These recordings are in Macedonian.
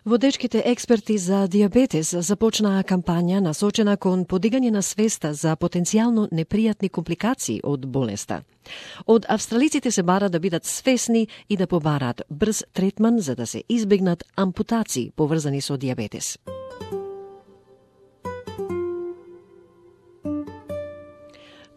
Водечките експерти за диабетес започнаа кампања насочена кон подигање на свеста за потенцијално непријатни компликации од болеста. Од австралиците се бара да бидат свесни и да побараат брз третман за да се избегнат ампутации поврзани со диабетес.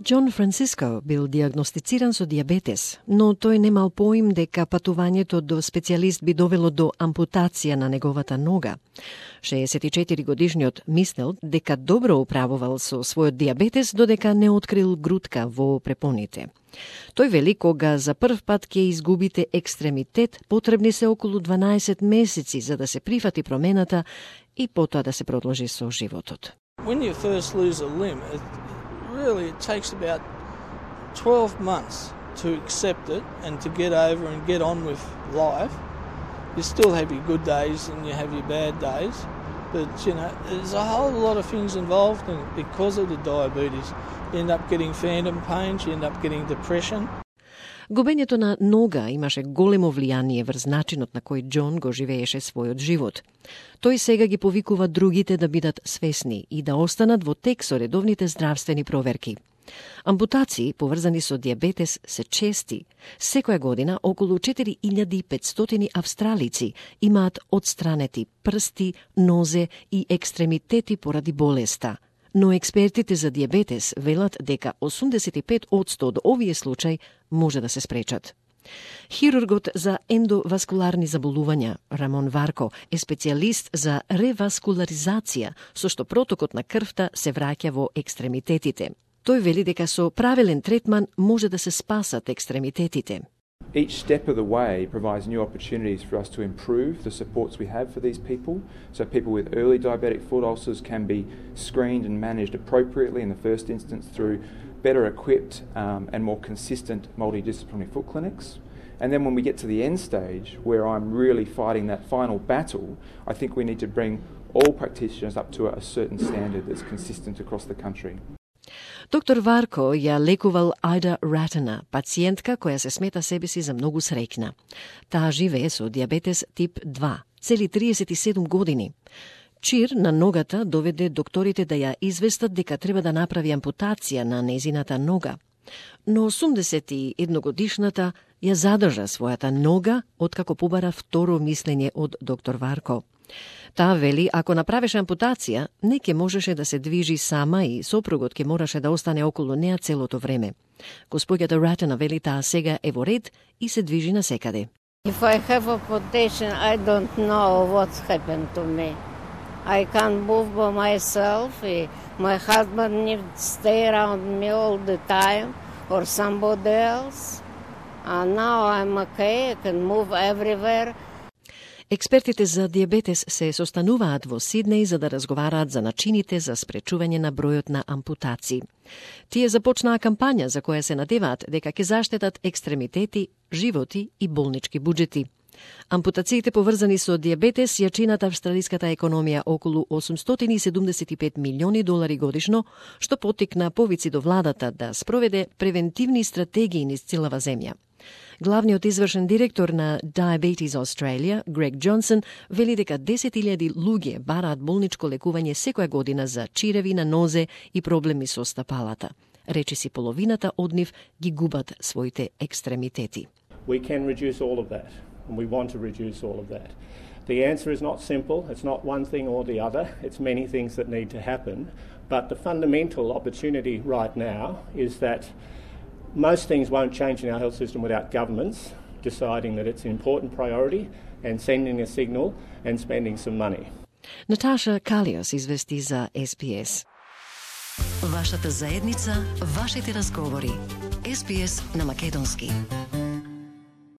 Џон Франциско бил диагностициран со диабетес, но тој немал поим дека патувањето до специјалист би довело до ампутација на неговата нога. 64 годишниот мислел дека добро управувал со својот диабетес додека не открил грудка во препоните. Тој вели кога за прв пат ќе изгубите екстремитет, потребни се околу 12 месеци за да се прифати промената и потоа да се продолжи со животот. When you first lose a limb, really it takes about 12 months to accept it and to get over and get on with life. You still have your good days and you have your bad days, but there's a whole lot of things involved in it because of the diabetes. You end up getting phantom pains, you end up getting depression. Губењето на нога имаше големо влијание врз начинот на кој Џон го живееше својот живот. Тој сега ги повикува другите да бидат свесни и да останат во тек со редовните здравствени проверки. Ампутации поврзани со диабетес се чести. Секоја година околу 4500 австралици имаат отстранети прсти, нозе и екстремитети поради болеста. Но експертите за диабетес велат дека 85% од овие случаи може да се спречат. Хирургот за ендоваскуларни заболувања Рамон Варко е специјалист за реваскуларизација, со што протокот на крвта се враќа во екстремитетите. Тој вели дека со правилен третман може да се спасат екстремитетите. Each step of the way provides new opportunities for us to improve the supports we have for these people. So people with early diabetic foot ulcers can be screened and managed appropriately in the first instance through better equipped and more consistent multidisciplinary foot clinics. And then when we get to the end stage, where I'm really fighting that final battle, I think we need to bring all practitioners up to a certain standard that's consistent across the country. Доктор Варко ја лекувал Ајда Ратена, пациентка која се смета себе си за многу среќна. Таа живее со диабетес тип 2, цели 37 години. Чир на ногата доведе докторите да ја известат дека треба да направи ампутација на незината нога. Но 81-годишната ја задржа својата нога откако побара второ мислење од доктор Варко. Таа вели, ако направеше ампутација, не ќе можеше да се движи сама и сопругот ќе мораше да остане околу неа целото време. Госпоѓата Ратена вели таа сега е во ред и се движи насекаде. If I have amputation, I don't know what's happened to me. I can't move by myself. My husband needs to stay around me all the time or somebody else. And now I'm okay, I can move everywhere. Експертите за диабетес се состануваат во Сиднеј за да разговараат за начините за спречување на бројот на ампутации. Тие започнаа кампања за која се надеваат дека ќе заштитат екстремитети, животи и болнички буџети. Ампутациите поврзани со диабетес ја чинат австралиската економија околу $875 милиони годишно, што поттикна повици до владата да спроведе превентивни стратегии низ целава земја. Главниот извршен директор на Diabetes Australia, Грег Џонсон, вели дека 10.000 луѓе бараат болничко лекување секоја година за чиреви на нозе и проблеми со стапалата. Речиси половината од нив ги губат своите екстремитети. We can reduce all of that, and we want to reduce all of that. The answer is not simple. It's not one thing or the other. It's many things that need to happen. But the fundamental opportunity right now is that most things won't change in our health system without governments deciding that it's an important priority and sending a signal and spending some money. Наташа Калиос извести за SBS. Вашата заедница, вашите разговори. SBS на македонски.